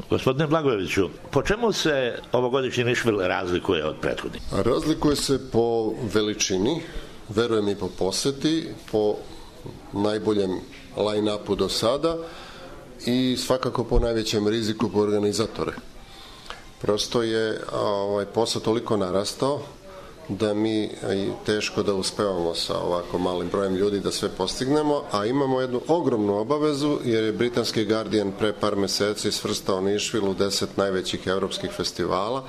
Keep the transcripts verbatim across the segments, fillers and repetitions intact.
Gospodine Blagojeviću, po čemu se ovogodišnji Nišvil razlikuje od prethodnih? Razlikuje se po veličini, verujem i po poseti, po najboljem line-upu do sada i svakako po najvećem riziku po organizatore. Prosto je ovaj, posao toliko narastao da mi teško da uspevamo sa ovako malim brojem ljudi da sve postignemo, a imamo jednu ogromnu obavezu jer je britanski Guardian pre par meseci svrstao Nišvil u deset najvećih evropskih festivala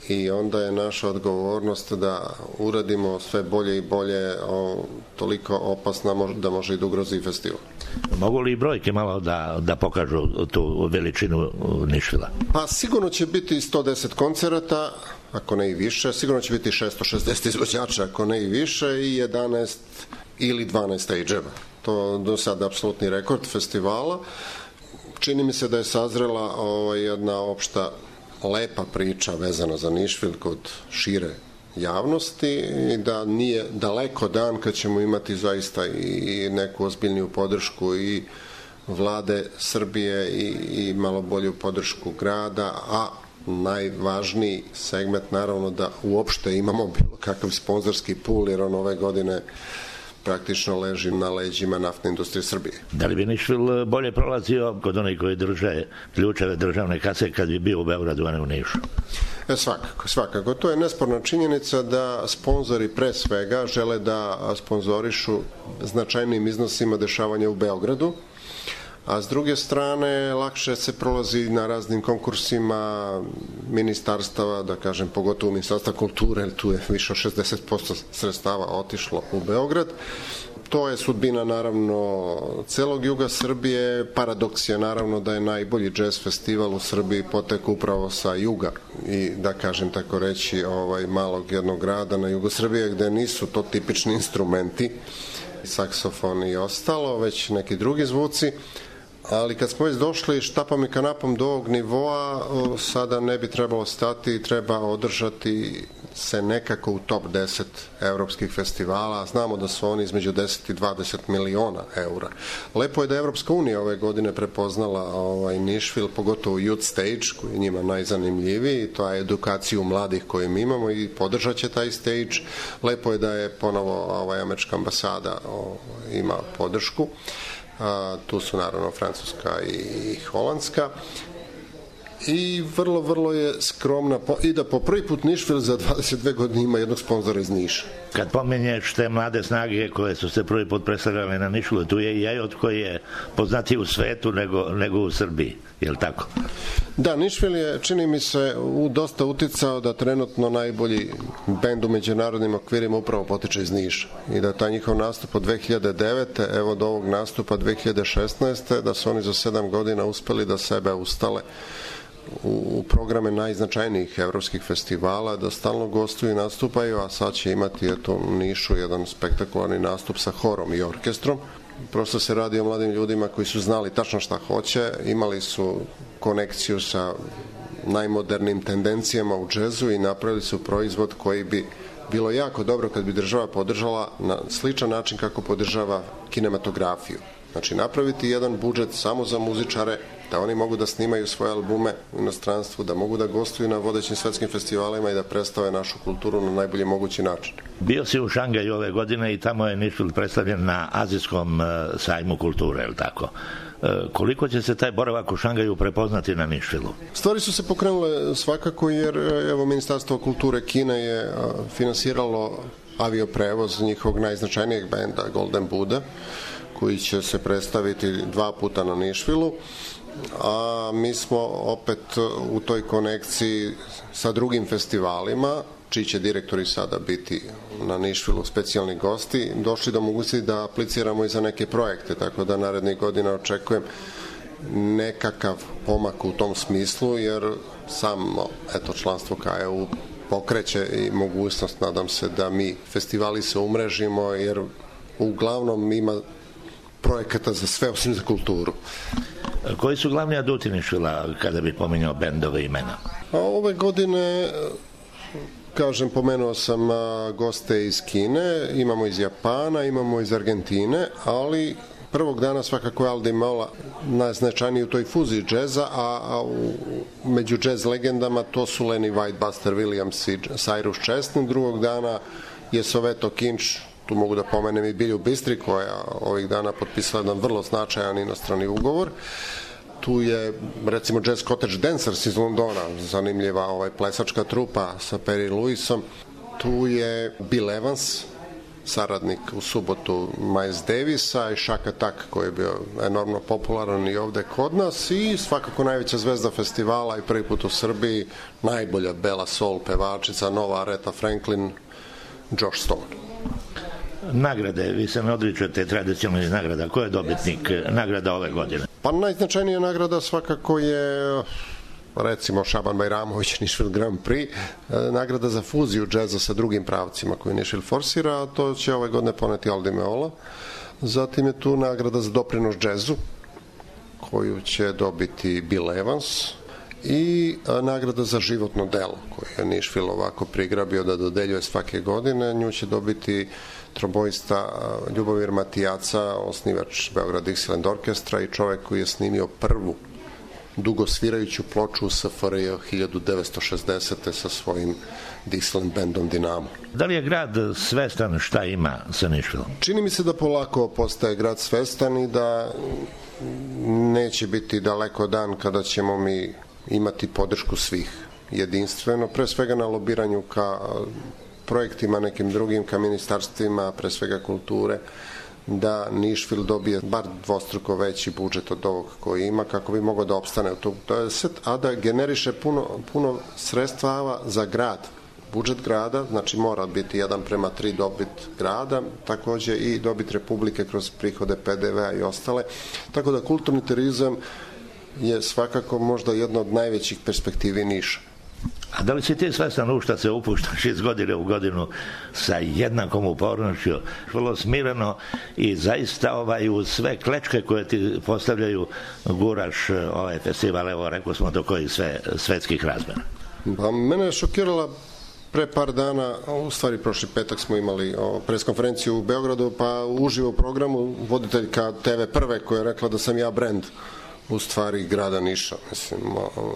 i onda je naša odgovornost da uradimo sve bolje i bolje, o, toliko opasna da može i da ugrozi festival. Mogu li i brojke malo da, da pokažu tu veličinu Nišvila? Pa sigurno će biti sto deset koncerata, ako ne i više, sigurno će biti šesto šezdeset izvođača, ako ne i više, i jedanaest ili dvanaest stage-eva. To do sada apsolutni rekord festivala. Čini mi se da je sazrela ovaj, jedna opšta lepa priča vezana za Nišvil kod šire javnosti i da nije daleko dan kad ćemo imati zaista i neku ozbiljniju podršku i vlade Srbije i, i malo bolju podršku grada, a najvažniji segment naravno da uopšte imamo bilo kakav sponzorski pool, jer on ove godine praktično leži na leđima naftne industrije Srbije. Da li bi Nišvil bolje prolazio kod onih koji drže ključeve državne kase kad bi bio u Beogradu, a ne u Nišu? E, svakako, svakako. To je nesporna činjenica da sponzori pre svega žele da sponzorišu značajnim iznosima dešavanja u Beogradu, a s druge strane lakše se prolazi na raznim konkursima ministarstava, da kažem pogotovo Ministarstva kulture, jer tu je više od šezdeset posto sredstava otišlo u Beograd. To je sudbina naravno celog juga Srbije. Paradoks je naravno da je najbolji jazz festival u Srbiji potek upravo sa juga i da kažem tako reći ovaj malog jednog grada na jugu Srbije gde nisu to tipični instrumenti, saksofon i ostalo, već neki drugi zvuci. Ali kad smo već došli štapom i kanapom do ovog nivoa, sada ne bi trebalo stati, treba održati se nekako u top deset evropskih festivala. Znamo da su oni između deset i dvadeset miliona eura. Lepo je da je Evropska unija ove godine prepoznala ovaj Nišvil, pogotovo Youth Stage, koji je njima najzanimljiviji, to je edukaciju mladih koju mi imamo i podržat će taj stage. Lepo je da je ponovo ovaj, američka ambasada ovaj, ima podršku. A, tu su naravno Francuska i Holandska i vrlo, vrlo je skromna i da po prvi put Nišvil za dvadeset dve godine ima jednog sponzora iz Niša. Kad pomenješ te mlade snage koje su se prvi put predstavljale na Nišvilu, tu je i Jajot koji je poznatiji u svetu nego, nego u Srbiji, je li tako? Da, Nišvil je, čini mi se, u dosta uticao da trenutno najbolji bend u međunarodnim okvirima upravo potiče iz Niša i da taj njihov nastup od dve hiljade devete evo do ovog nastupa dve hiljade šesnaeste da su oni za sedam godina uspeli da sebe ustale u programe najznačajnijih evropskih festivala, da stalno gostuju i nastupaju, a sad će imati eto, u Nišu jedan spektakularni nastup sa horom i orkestrom. Prosto se radi o mladim ljudima koji su znali tačno šta hoće, imali su konekciju sa najmodernim tendencijama u džezu i napravili su proizvod koji bi bilo jako dobro kad bi država podržala na sličan način kako podržava kinematografiju. Znači napraviti jedan budžet samo za muzičare, da oni mogu da snimaju svoje albume u inostranstvu, da mogu da gostuju na vodećim svetskim festivalima i da predstave našu kulturu na najbolji mogući način. Bio si u Šangaju ove godine i tamo je Nišvil predstavljen na Azijskom sajmu kulture, je li tako? Koliko će se taj boravak u Šangaju prepoznati na Nišvilu? Stvari su se pokrenule svakako jer evo Ministarstvo kulture Kine je finansiralo avioprevoz njihovog najznačajnijeg benda Golden Buddha, koji će se predstaviti dva puta na Nišvilu, a mi smo opet u toj konekciji sa drugim festivalima, čiji će direktori sada biti na Nišvilu specijalni gosti, došli do mogućnosti da apliciramo i za neke projekte, tako da narednih godina očekujem nekakav pomak u tom smislu, jer samo eto, članstvo K E U pokreće i mogućnost, nadam se, da mi festivali se umrežimo, jer uglavnom ima projekata za sve osim za kulturu. Koji su glavni aduti Nišvila kada bi pominjao bendove imena? A ove godine, kažem, pomenuo sam goste iz Kine, imamo iz Japana, imamo iz Argentine, ali prvog dana svakako je Al Di Meola najznačajniji u toj fuziji džeza, a, a u, među džez legendama to su Lenny White, Buster Williams i Cyrus Chesney. Drugog dana je Soweto Kinch, tu mogu da pomenem i Bilju Bistri, koja ovih dana potpisala jedan vrlo značajan inostrani ugovor. Tu je, recimo, Jazz Cottage Dancers iz Londona, zanimljiva ovaj plesačka trupa sa Perry Lewisom. Tu je Bill Evans, saradnik u subotu Miles Davisa, i Shaka Tak, koji je bio enormno popularan i ovde kod nas, i svakako najveća zvezda festivala i prvi put u Srbiji, najbolja bela soul pevačica, nova Aretha Franklin, Josh Stone. Nagrade, vi se ne odričete tradicionalnih nagrada. Ko je dobitnik nagrada ove godine? Pa najznačajnija nagrada svakako je, recimo, Šaban Bajramović, Nashville Grand Prix, nagrada za fuziju džeza sa drugim pravcima koju Nashville forsira, a to će ove godine poneti Al Di Meola. Zatim je tu nagrada za doprinos džezu, koju će dobiti Bill Evans, i nagrada za životno delo, koju je Nashville ovako prigrabio da dodeljuje svake godine. Nju će dobiti tromboista Ljubomir Matijaca, osnivač Beograd Dixieland Orkestra i čovek koji je snimio prvu dugosvirajuću ploču u S F R J hiljadu devetsto šezdesete sa svojim Dixieland bandom Dinamo. Da li je grad svestan šta ima sa Nashvilleom? Čini mi se da polako postaje grad svestan i da neće biti daleko dan kada ćemo mi imati podršku svih jedinstveno, pre svega na lobiranju ka projektima nekim drugim, ka ministarstvima, pre svega kulture, da Nashville dobije bar dvostruko veći budžet od ovog koji ima, kako bi mogao da opstane u tog dvadeset, a da generiše puno, puno sredstava za grad. Budžet grada, znači mora biti jedan prema tri dobit grada, takođe i dobit Republike kroz prihode P D V-a i ostale. Tako da kulturni turizam je svakako možda jedna od najvećih perspektivi Niša. A da li si ti svestan u šta se upuštaš iz godine u godinu sa jednakom upornošću, vrlo smireno i zaista ovaj, uz sve klečke koje ti postavljaju guraš ovaj festival, evo rekao smo do kojih sve svetskih razmera? Pa mene je šokirala pre par dana, u stvari prošli petak smo imali preskonferenciju u Beogradu, pa uživo u programu voditeljka T V Prve koja je rekla da sam ja brend u stvari grada Niša, mislim,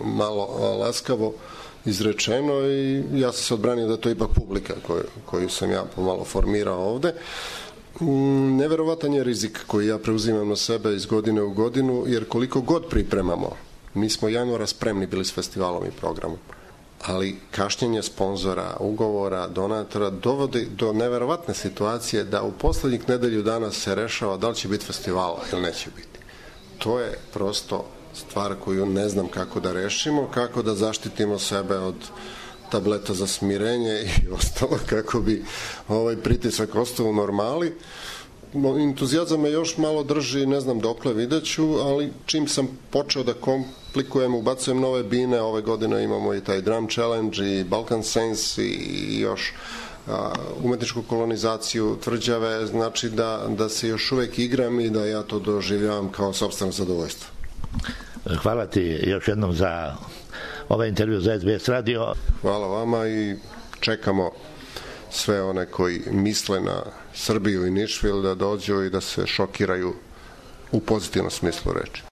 malo laskavo izrečeno, i ja sam se odbranio da je to ipak publika koju, koju sam ja pomalo formirao ovde. Neverovatan je rizik koji ja preuzimam na sebe iz godine u godinu, jer koliko god pripremamo, mi smo januara spremni bili s festivalom i programom, ali kašnjenje sponzora, ugovora, donatora dovodi do neverovatne situacije da u poslednjih nedelju dana se rešava da li će biti festivala ili neće biti. To je prosto stvar koju ne znam kako da rešimo, kako da zaštitimo sebe od tableta za smirenje i ostalo, kako bi ovaj pritisak ostao u normali. Entuzijazam me još malo drži, ne znam dokle, videću, ali čim sam počeo da komplikujem, ubacujem nove bine, ove godine imamo i taj Drum Challenge i Balkan Saints i još a, umetničku kolonizaciju tvrđave, znači da, da se još uvek igram i da ja to doživljavam kao sopstveno zadovoljstvo. Hvala ti još jednom za ovaj intervju za S B S radio. Hvala vama i čekamo sve one koji misle na Srbiju i Nashville da dođu i da se šokiraju u pozitivnom smislu reči.